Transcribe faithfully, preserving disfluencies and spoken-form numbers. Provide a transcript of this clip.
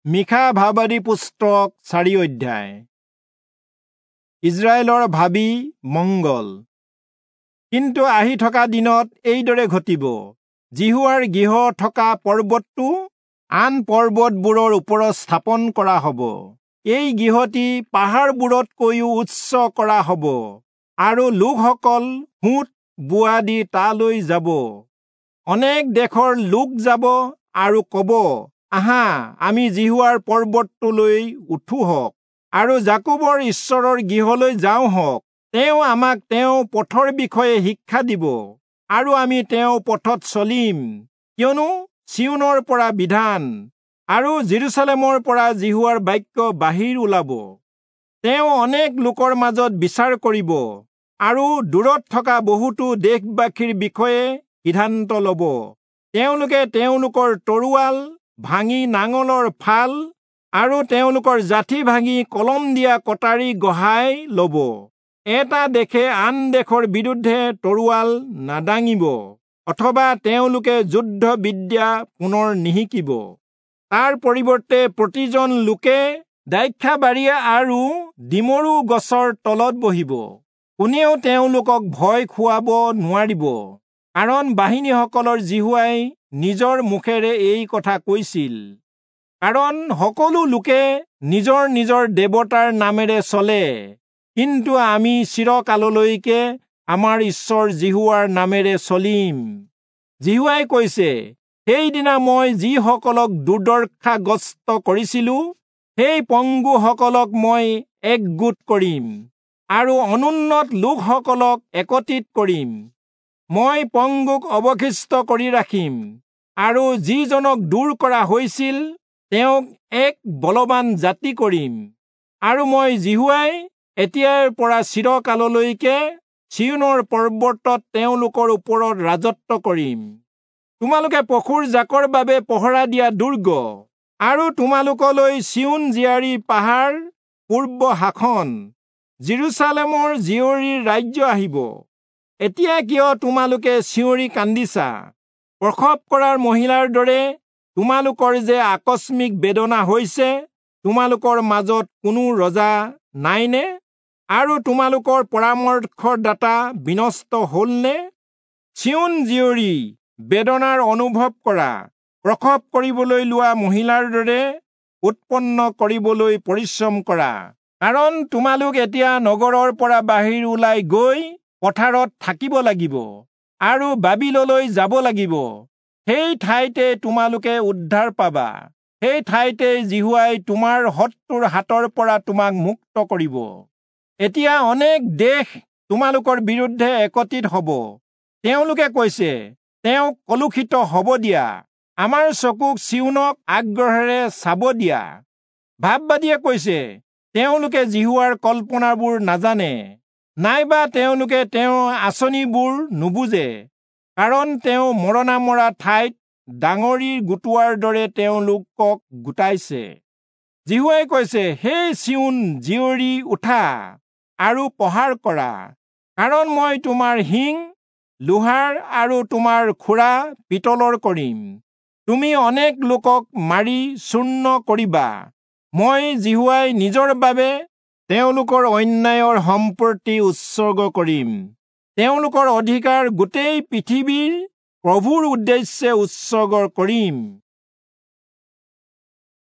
মীখা ভাববাদী পুস্তক চাৰি অধ্যায়। ইজৰাইলৰ ভাবি মংগল। কিন্তু আহি থকা দিনত এইদৰে ঘটিব, যিহোৱাৰ গৃহ থকা পৰ্বতটো আন পৰ্বতবোৰৰ ওপৰত স্থাপন কৰা হ'ব। এই গৃহটি পাহাৰবোৰতকৈও উচ্চ কৰা হ'ব, আৰু লোকসকল সোঁত বোৱা দি তালৈ যাব। অনেক দেশৰ লোক যাব আৰু ক'ব, আহা, আমি যিহোৱাৰ পৰ্বতটোলৈ উঠোহঁক আৰু যাকোবৰ ঈশ্বৰৰ গৃহলৈ যাওঁহক। তেওঁ আমাক তেওঁ পথৰ বিষয়ে শিক্ষা দিব, আৰু আমি তেওঁ পথত চলিম। কিয়নো চিয়োনৰ পৰা বিধান আৰু যিৰূচালেমৰ পৰা যিহোৱাৰ বাক্য বাহিৰ ওলাব। তেওঁ অনেক লোকৰ মাজত বিচাৰ কৰিব আৰু দূৰত থকা বহুতো দেশবাসীৰ বিষয়ে সিদ্ধান্ত ল'ব। তেওঁলোকে তেওঁলোকৰ তৰোৱাল ভাঙি নাঙলৰ ফাল আৰু তেওঁলোকৰ যাঠি ভাঙি কলম দিয়া কটাৰী গঢ়াই ল'ব। এটা দেশে আন দেশৰ বিৰুদ্ধে তৰোৱাল নাদাঙিব, অথবা তেওঁলোকে যুদ্ধ বিদ্যা পুনৰ নিশিকিব। তাৰ পৰিৱৰ্তে প্ৰতিজন লোকে দ্ৰাক্ষাবাৰী আৰু ডিমৰু গছৰ তলত বহিব। কোনেও তেওঁলোকক ভয় খুৱাব নোৱাৰিব, কাৰণ বাহিনীসকলৰ যিহোৱাই নিজৰ মুখেৰে এই কথা কৈছিল। কাৰণ সকলো লোকে নিজৰ নিজৰ দেৱতাৰ নামেৰে চলে, কিন্তু আমি চিৰকাললৈকে আমাৰ ঈশ্বৰ যিহোৱাৰ নামেৰে চলিম। যিহোৱাই কৈছে, সেইদিনা মই যিসকলক দুৰ্দশাগ্ৰস্ত কৰিছিলো, সেই পংগুসকলক মই একগোট কৰিম আৰু অনুন্নত লোকসকলক একত্ৰিত কৰিম। মই পংগুক অৱশিষ্ট কৰি ৰাখিম, আৰু যিজনক দূৰ কৰা হৈছিল তেওঁক এক বলৱান জাতি কৰিম। আৰু মই যিহোৱাই এতিয়াৰ পৰা চিৰকাললৈকে চিয়োনৰ পৰ্বতত তেওঁলোকৰ ওপৰত ৰাজত্ব কৰিম। তোমালোকে পশুৰ জাকৰ বাবে পহৰা দিয়া দুৰ্গ, আৰু তোমালোকলৈ চিয়োন জীয়াৰী পাহাৰ পূৰ্ব শাসন, যিৰূচালেমৰ জীয়ৰীৰ ৰাজ্য আহিব। এতিয়া কিয় তোমালোকে চিঞৰি কান্দিছা? প্ৰসৱ কৰাৰ মহিলাৰ দৰে তোমালোকৰ যে আকস্মিক বেদনা হৈছে, তোমালোকৰ মাজত কোনো ৰজা নাইনে? আৰু তোমালোকৰ পৰামৰ্শদাতা বিনষ্ট হলনে? চিয়োন জীয়ৰী, বেদনাৰ অনুভৱ কৰা, প্ৰসৱ কৰিবলৈ লোৱা মহিলাৰ দৰে উৎপন্ন কৰিবলৈ পৰিশ্ৰম কৰা। কাৰণ তোমালোক এতিয়া নগৰৰ পৰা বাহিৰ ওলাই গৈ পথাৰত থাকিব লাগিব আৰু বাবিললৈ যাব লাগিব। সেই ঠাইতে তোমালোকে উদ্ধাৰ পাবা, সেই ঠাইতে যিহোৱাই তোমাৰ শত্ৰুৰ হাতৰ পৰা তোমাক মুক্ত কৰিব। এতিয়া অনেক দেশ তোমালোকৰ বিৰুদ্ধে একত্ৰিত হ'ব। তেওঁলোকে কৈছে, তেওঁক কলুষিত হ'ব দিয়া, আমাৰ চকুক চিয়োনক আগ্ৰহেৰে চাব দিয়া। ভাববাদীয়ে কৈছে, তেওঁলোকে যিহোৱাৰ কল্পনাবোৰ নাজানে, নাইবা তেওঁলোকে তেওঁৰ আঁচনিবোৰ নুবুজে। কাৰণ তেওঁ মৰণা মৰা ঠাইত ডাঙৰি গোটোৱাৰ দৰে তেওঁলোকক গোটাইছে। যিহোৱাই কৈছে, হে চিয়োন জীয়ৰী, উঠা আৰু প্ৰহাৰ কৰা, কাৰণ মই তোমাৰ শিং লোহাৰ আৰু তোমাৰ খুৰা পিতলৰ কৰিম। তুমি অনেক লোকক মাৰি চূৰ্ণ কৰিবা। মই যিহোৱাই নিজৰ বাবে তেওঁলোকৰ অন্যায়ৰ সম্পত্তি উৎসৰ্গ কৰিম, তেওঁলোকৰ অধিকাৰ গোটেই পৃথিৱীৰ প্ৰভুৰ উদ্দেশ্যে উৎসৰ্গ কৰিম।